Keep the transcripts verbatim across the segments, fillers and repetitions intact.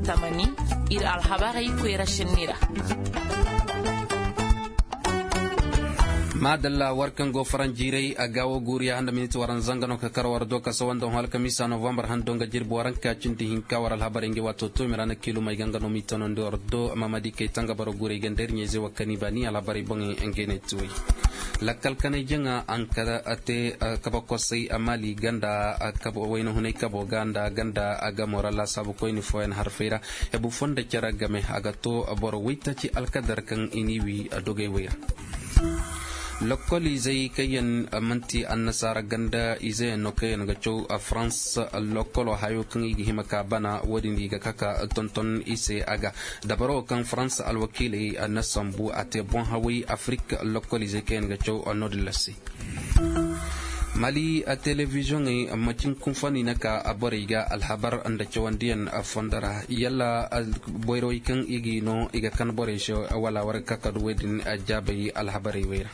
Tamani, ir alhabarey koyra sinni ra. Maadalla war kaŋ go faranjiiray a gaawo guuriya handa miniti waranzanga no ka kar war do ka sawa nda hõ alkamiisa novambar hando nga jirbi waranka cindi hinka war alhabarey ngi waato toomi ra na kiilumey ga nga no m'i tanandi war do mamadi kay tanga boro guuray ga nda ir ɲayzey wa kani baani alhabarey boŋey ngey ne ti wey. Lakkal kanay jaŋa a na ka te kaba kosay maali ganda kabo wayna hunay kabo ga nda ganda a gamo ra laasaabu koyni fooyaŋ harfey ra. Hebu foo nda cere game a ga to boro waytaaci alkadar kaŋ i n'i wi dogey wey ra. Lokkol izey kaŋ yaŋ man'ti annasaara ganda izeyaŋ no kaŋ yaŋ ga caw farans lokkolo hayo kaŋ i ga hima ka bana wo-din i ga ka ka tonton i se a ga dabaro kaŋ farans alwakiiley na sambu a te boŋ haway afirik lokkol izey kaŋ yaŋ ga caw no-din la se. Mali telebiziyoŋey macin kunfani na ka borey ga alhabar nda cawandiyaŋ fondo ra yalla boyrowey kaŋ i g'i no i ga kan borey se wala war ga ka ka du wey din jaabay alhabarey wey ra.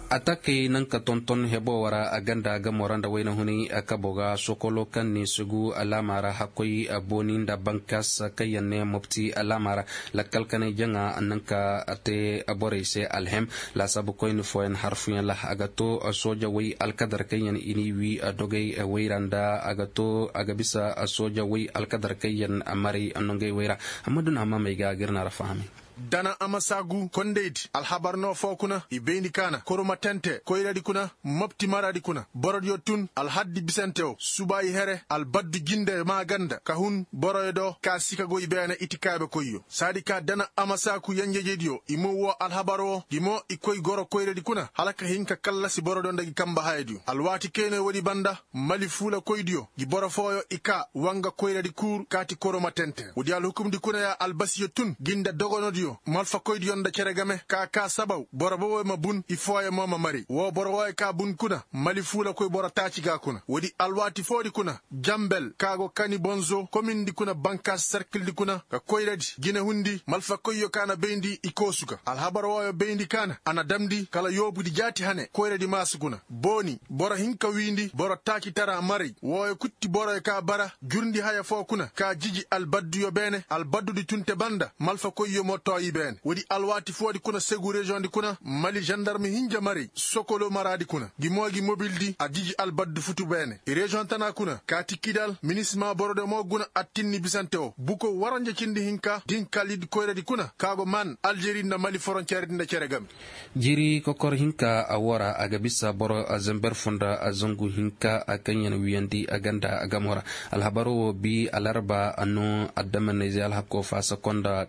Atakey naŋ ka tonton hebo wara a ganda gamo ra nda wayna hunay kabo ga sokolo kaŋ ne sugu alaama ra hakkoy booni nda bankas kaŋ yaŋ ne mopti alaama ra. Lakkal kanay jaŋa naŋ ka te borey se alhem laasaabu koyni fooyaŋ harfuyaŋ ra a ga to sooja way alkadar kaŋ yaŋ i n'i wi dogey wayra nda a ga to a ga bisa sooja way alkadar kaŋ yaŋ maray nongey wayra. Amma duna amma may ga a ga ir na ra fahamay. Dana amasaagu kondaydi alhabar no foo kuna i bayndi kaana koroma tente koyradi kuna mopti maradi kuna borodiyo tun alhaddi bisante wo subaayi here albaddu jinde maaganda ka hun boroyo do ka sika go i beene itikaabe koyyo saadi ka dana amasaaku yenjejediyo i mo woo alhabar wo gi mo i koy goro koyradi kuna hala ka hin ka kallasi borodiyo nda gi kamba hayadiyo alwaati kaynoyo woodi banda mali fuulakoydiyo gi boro fooyo i kaa wanga koyradi kuur kaati koroma tenten woodi alhukumdi kuna ya albasiyo tun gi nda dogonodiyo malfakoydiyo nda cere game ka kaa sabaw boro boboyo ma bun i fooyo mo ma mari woo boro wooyo kaa bun kuna mali fuulakoy boro taaci ga kuna woodi alwaati foodi kuna jambel ka go kani bonzo komindi kuna bankaasi sarkildi kuna ka koyradi jinehundi malfakoyyo ka na bayndi i koosu ga alhabar wooyo bayndi ka na a na damndi kala yoobudi jaati hane koyradi maasu kuna booni boro hinka wiindi boro taakitara maray wooyo kutti boroyo ka bara jurndi haya foo kuna ka jiji albadduyo beene albaddudi tun te banda malfakoyyo mo too i beene woodi alwaati foodi kuna segu reziyoŋdi kuna mali zandarmi hinja maray sokolo maraadi kuna gi mo gi mobildi a jiji albaddu futu beene i reziyoŋ tana kuna kaati kidal minisima borode mo guna attinni bisante wo buko waranja cindi hinka dinkalidi koyradi kuna ka go man aljeri nda mali foronceredi nda cere game. Jiiri kokor hinka a woo ra a ga bisa boro zamber foo nda zangu hinka kaŋ yaŋ wiyandi a ganda a gamo ra. Alhabaro wo bi alarba a no addamanayzey alhakko faasa konda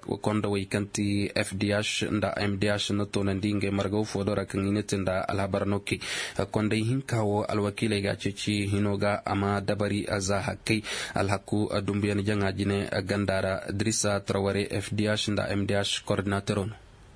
wey kaŋ ti fdh nda mdh na toonandi ngey margaw foodo ra kaŋ i na te nda alhabar no kay. Kondey hinka wo alwakiiley ga a ceeci hino ga a ma dabari za hakkey. Alhakku dumbuyaŋ jaŋa jine ganda ra dirisa traware fdh nda mdh kordinatero no.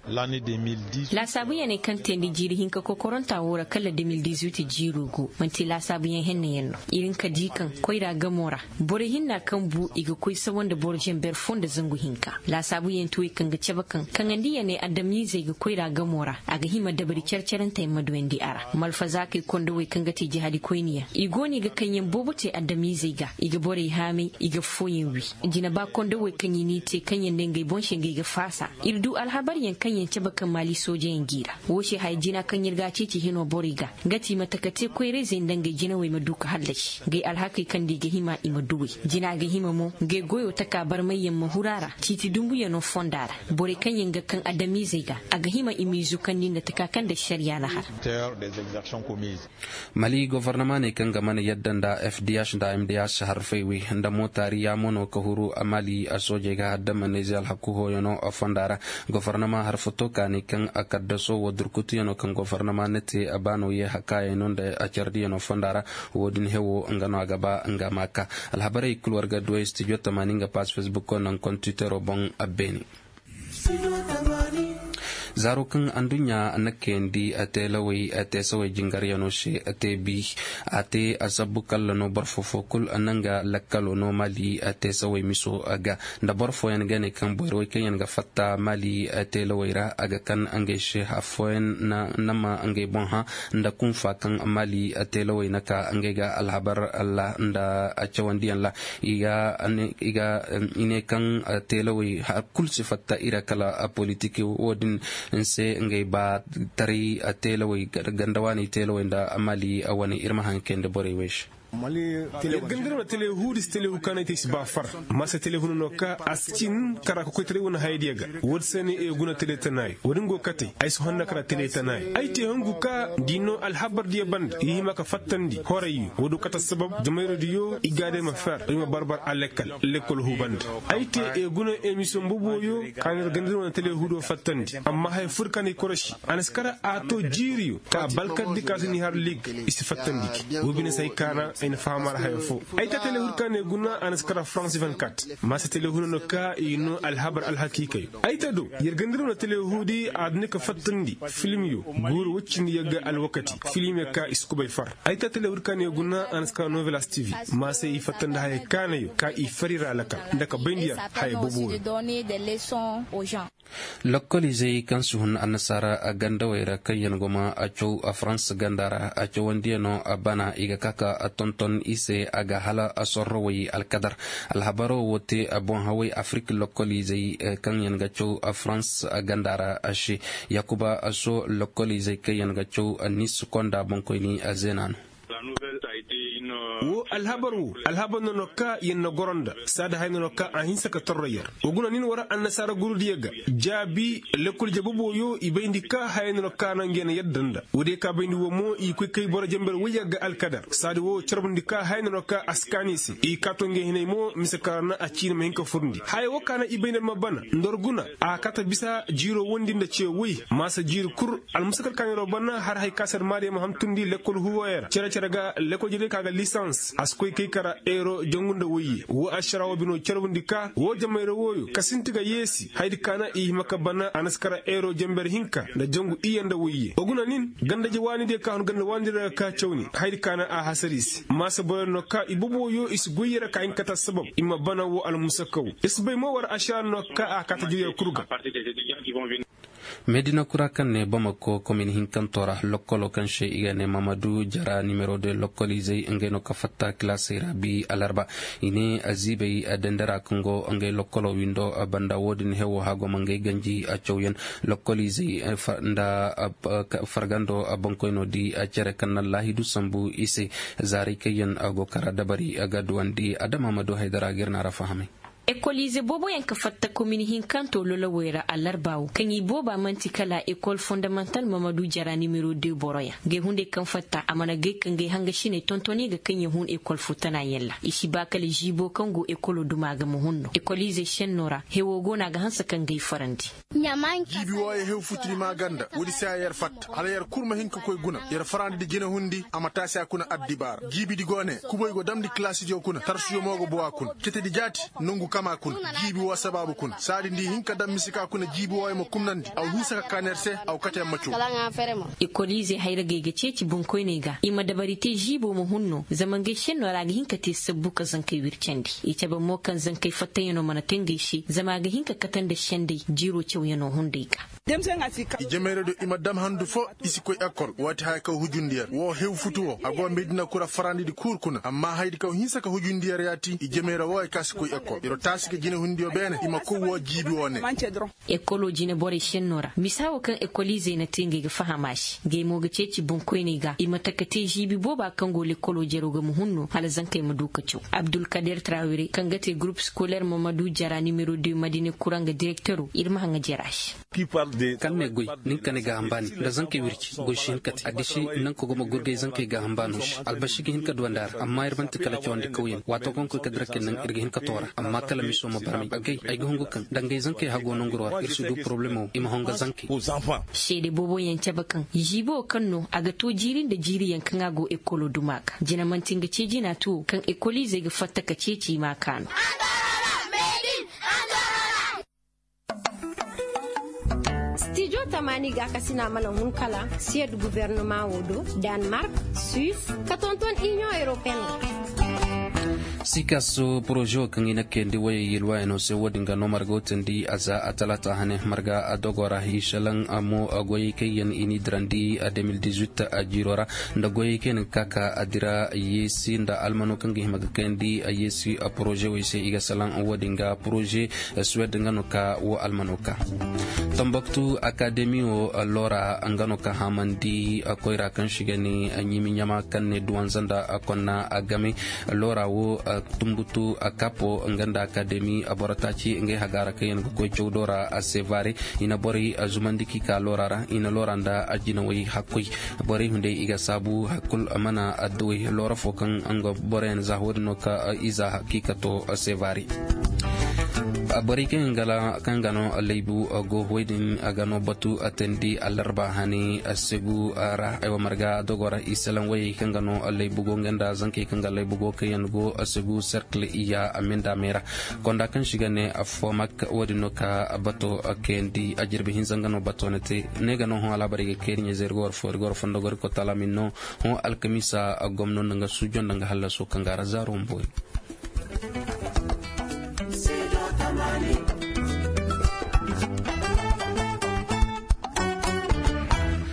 Laasaabuyaŋey kaŋ teendi jiiri hinka kokoronta woo ra kala de mil dizuit jiiroo go man'ti laasaabuyaŋ henneyaŋ no. Ir hin ka di kaŋ koyra gamo ra borey hinna kaŋ bu i ga koy sawa nda boro zamber foo nda zangu hinka. Laasaabuyaŋ ti wey kaŋ ga cabe kaŋ kaŋandiyaney adamiizey ga koyra gamo ra a ga hima dabari care-caranteyaŋ ma duyandi a ra. Malfazaakey kondowey kaŋ ga te jahadikoyniyaŋ i go no i ga kaŋyaŋ boobo te adamiizey ga i ga borey haamay i ga affooyaŋ wi. Jine ba kondowey kaŋ i n'i te kaŋyaŋ nda ngey boŋ se ngey ga faasa. Ir du alhabaryaŋ kaŋyaŋ cabe kaŋ maali soojeyaŋ g'i ra. Woo se haya jina kaŋ ir ga a ceeci hino borey ga nga ti i ma taka te koyrayzey nda ngey jinawey ma du ka hallasi ngey alhakey kaŋ nda i ga hima i ma duwey. Jina ga hima mo ngey goyo taka barmayyaŋ ma huru a ra ciiti dumbuyaŋo fonda ra. Borey kaŋyaŋ ga kaŋ adamiizey ga a ga hima i m'i zukandi nda taka kaŋ nda ašariya na har. Mali gofornama ne kaŋ ga mana yadda nda fdh nda mdh harfey wi nda mootaari yaamo no ka huru mali soojey ga haddamanayze alhaku hooyano fonda ra. Gofornama harfato ka ne kaŋ a kaddaso wo durkutuyano kaŋ gofornama na te baano ye hakaayano nda cardiyano fonda ra. Wo-din hewo nga no a ga ba nga ma ka alhabarey kul war ga duwey stijo tamaani nga paas fesbukko naŋ kontitero boŋ. Abbeeni. Zaaro kaŋ anduɲɲa na kayandi teelawey teesawey jingaryano se te bi, a te a sabbu kalla no boro foo foo kul na nga lakkalo no mali teesawey miso ga. Nda boro fooyaŋ ga ne kaŋ boyrawey kaŋ yaŋ ga fatta mali teelawey ra a ga kan ngey se affooyaŋ na ma ngey boŋ hã nda kunfa kaŋ mali teelawey na ka ngey ga alhabar ra nda cawandiyaŋ ra. I ga i ne kaŋ teelawey har kulu si fatta i ra kala politik wo-din se ngey ba taray teelawey ganda waaney teelawey nda mali wane ir ma haŋ kayandi borey wey se. Ganda ir wane teelawey huudi si teelawey huudi kaŋ no ay te i si ba far. Masa teelawey huudi no ka a si cin kara ka koy taray wane hayadiyo ga. Wo-din se ne i guna teelawey tanaayo wo-din go kate ay si honda kara teelawey tanaayo ay te hungu ka da i no alhabar diyo banda i hima ka fattandi horayyo wo-din kate assabab jamayra diyo i ga day ma fer i ma barbar a lekkal lekkol huu banda. Ay te i guna emisiyoŋ boboyo ka na ir ganda ir wane teelawey huudo fattandi amma haya fur ka na i korosi a na si kara a to jiiriyo ka balkardi ka si ni har lig i si fattandi gi. Wo bine se ay kaana ay na faham a ra haya foo. Ay te teelawey huudi ka na i guna a na si kara farans vingt-quatre. Masa teelawey huudi no ka i no alhabar alhakiikayo ay te do yer ganda ir wane teelawey huudi a duni ka fattandi filmiyo guuru woy cindi yagga alwakati filmiyo ka i si kubay far. Ay te teelawey huudi ka na i guna a na si kara novelas tv. Masa i fattandi haya kaanayo ka i fari ra lakal nda ka bayndi yer haya boboyo. Lokkoliizey kaŋ si hun annasaara gandawey ra kaŋ yaŋ go ma a caw farans ganda ra a cawandiyano bana i ga ka ka tonton i se a ga hala sorrowey alkadar. Alhabaro wo te boŋ hawey afirik lokkoliizey kaŋ yaŋ ga caw farans ganda ra se. Yaakuba so lokkoliizey kaŋ yaŋ ga caw nis konda boŋkoyni zeena no. Wo alhabar wo alhabar no no ka yer na goro nda saada haya no no ka a hinsa ka torro yer. Wa guna nin war annasaara gurudiyo ga jaabi lekkol jabubo yo i bayndi ka haya no no ka no ngey na yadda nda woodiyo ka bayndi wo mo i koy kay boro jamber woyya ga alkadar saadi wo carbundi ka haya no no ka a si kaanu i se i kaato ngey hinay mo mise ka ra na a ciini ma hin ka furndi haya wo ka na i bayndi ma bana nda war guna a kaata bisa jiiro wondi nda ce woy maasa jiiri kul. Almusakal kaaniroo bana har hay ka se almaariyo ma hantumndi lekkol huuwooyo ra cere cere ga lekkol jere ka ga lisans a si koy kay kara eero jangu nda woyye woo ašaraa woo binoo carbundi ka woo jamayra wooyo ka sinti ga yeesi hayadi ka na i hima ka bana a na si kara eero jamber hinka nda jangu iyye nda woyye wa guna nin ganda je waanidiyo ka hun ganda waanidiyo ra ga ka cawni hayadi ka na a hasara i se maasa boroyo no ka i boboyo i si goyye ra ka hin ka ta sabab i ma bana woo almusakaw. Ir si bay mo war ašaraa no ka a kaata jiriyo kul ga. Medina kura kaŋ ne bamako komin hinkantoo ra lokkolo kaŋ se i ga ne mamadu jara nimero de lokkoliizey ngey no ka fatta kilaasey ra bi alarba. I ne ziibey dendera kaŋ go ngey lokkolo windo banda wo-din hewo hagoma ngey ganji cawyaŋ lokkoliizey nda fargando boŋkoynoo di cere kaŋ na laahidu sambu i se. Zaarey kaŋ yaŋ go kara dabari ga duwandi adama ma du haydara ga ir na ra fahamay. Ekoliize booboyaŋ ka fatta komin hinkanto lolowey ra allarba wo kaŋ i booba man'ti kala ekol fondamantal mamadu jara nimero de boroyaŋ. Ngey hunday kaŋ fatta a mana gay ka ngey hangasiney tontoni ga kaŋ ya hun ekol fo tanayaŋ ra i si ba kala ziibo kaŋ go ekolo duma ga ma hun no ekoliize senno ra hewo go no a ga hanse ka ngey farandi. Jiibi wooyo hew futudi maa ganda woodi se a yer fatta hala yer kul ma hin ka koy guna yer farandi di jinehundi a ma taasi a kuna addibaara jiibidi go ne kubay go damndi kilaasidiyo kuna tarsuyo mo go bow a kuna cetedi jaati. Nongu kamaa kuna jiibi woo sabaabu kuna saadi nda i hin ka daŋ mise ka kuna jiibi wooyo ma kumnandi a wa hinsa ka kaa neer se a wa kate yamma caw. Ekoliize hayragey ga ceeci boŋkoyney ga i ma dabari te ziibo ma hun no zama ngey senno ra a ga hin ka te sabbu ka zankey wircandi i cabe mo kaŋ zankey fattayanoo mana te ngey se zama a ga hin ka kate nda sendey jiiroo cawyanoo hunday ga. I jamey ra do i ma dam handu foo i si koy ekol waati haya kaŋ hujundi yer woo hew futu woo a go medina kura farandidi kuuru kuna amma hayadi kaŋ hinsa ka hujundi yer yaati i jamey ra wooyo kaŋ si koy ekol yer taasi ga jinehundiyo beene i ma koy woo jiibi woo ne. Ekoloo jineborey senno ra misa woo kaŋ ekoliizey na te ngey ga faham a se ngey mo ga ceeci boŋkoyney ga i ma taka te ziibi booba kaŋ go lekoloo jeroo ga ma hun no hala zankey ma du ka caw. Abdulkader trawire kaŋ ga te gurup skoler mamadu jara nimero de madine kuraŋ ga direktero ir ma haŋa jera se. Kaŋ ne goy nin ka ne gaaham baani nda zankey wirci goy si hin ka te a gisi naŋ ka go ma gurgay zankey gaaham baano se albasi ga hin ka duwandi a ra amma ir man'ti kala cawandi kawyaŋ waatoo kaŋ koy ka dira kay naŋ ir ga hin ka toora amma kala miso ma barmay agay ay ga hungu kaŋ dangay zankey hagoo nanguroo ra ir si du poroblemo i ma honga zankey. Seede booboyaŋ cabe kaŋ ziibo kaŋ no a ga too jiiri nda jiiriyaŋ kaŋ a go ekolo duma ga jina man'ti nga cee jina tuwo kaŋ ekoliizey ga fatta ka ceeci i ma a kaanu. Maani gaakasina mana hun kala siyed gubernama wo do, danmark, suis, ka tonton iniyoŋ europeen ra. Sikaso poroze wo kaŋ i na kayandi wayey yilwayaŋo se wo-din ga no marga wo teendi a za a talaata hane marga a dogo ra i salaŋ mo goyey kaŋ yaŋ i n'i dirandi a deux mille dix-huit a jiiro ra, nda goyey kaŋ yaŋ ga ka ka a dira yeesi nda almano kaŋ ga hima ga kayandi a yeesi a poroze wey se i ga salaŋ wo-din ga poroze suwed nga no ka wo almano ka. Tambaktu akademi wo loora nga no ka hamandi koyra kaŋ si ga ne ɲimi ɲama kaŋ ne duwanza nda konna a game. Loora wo tumbutu a kapo nga nda akademi a boro taaci ngey hagaara kaŋ yaŋ ga koy cawdo ra a sevare. I na borey zumandi k'i ka loora ra i na loora nda a jinawey hakkoy. Borey hunday i ga saabu hakkul mana adduwey loora fo kaŋ nga boroyaŋ za wo-din no ka iza k'i ka to sevare. Borey kaŋ ga no laybu go hoy din a ga no batu a teendi alarba hane a segu ra aywa marga dogo ra i salaŋ wayey kaŋ ga no laybu go nga nda zankey kaŋ ga laybu go kaŋ yaŋ go a segu serkil iya a minda me ra. Konda kaŋ si ga ne a fo mak wo-din no ka bato kayandi a jirbi hinza nga no bato na te ne ga no hõ alaabarey ga kayri ɲa zeri ga war fo iri ga war fondo gori kotala min no. Hõ alkamiisa gomno nda nga suujo nda nga hallaso kaŋ ga ra zaaro mboy.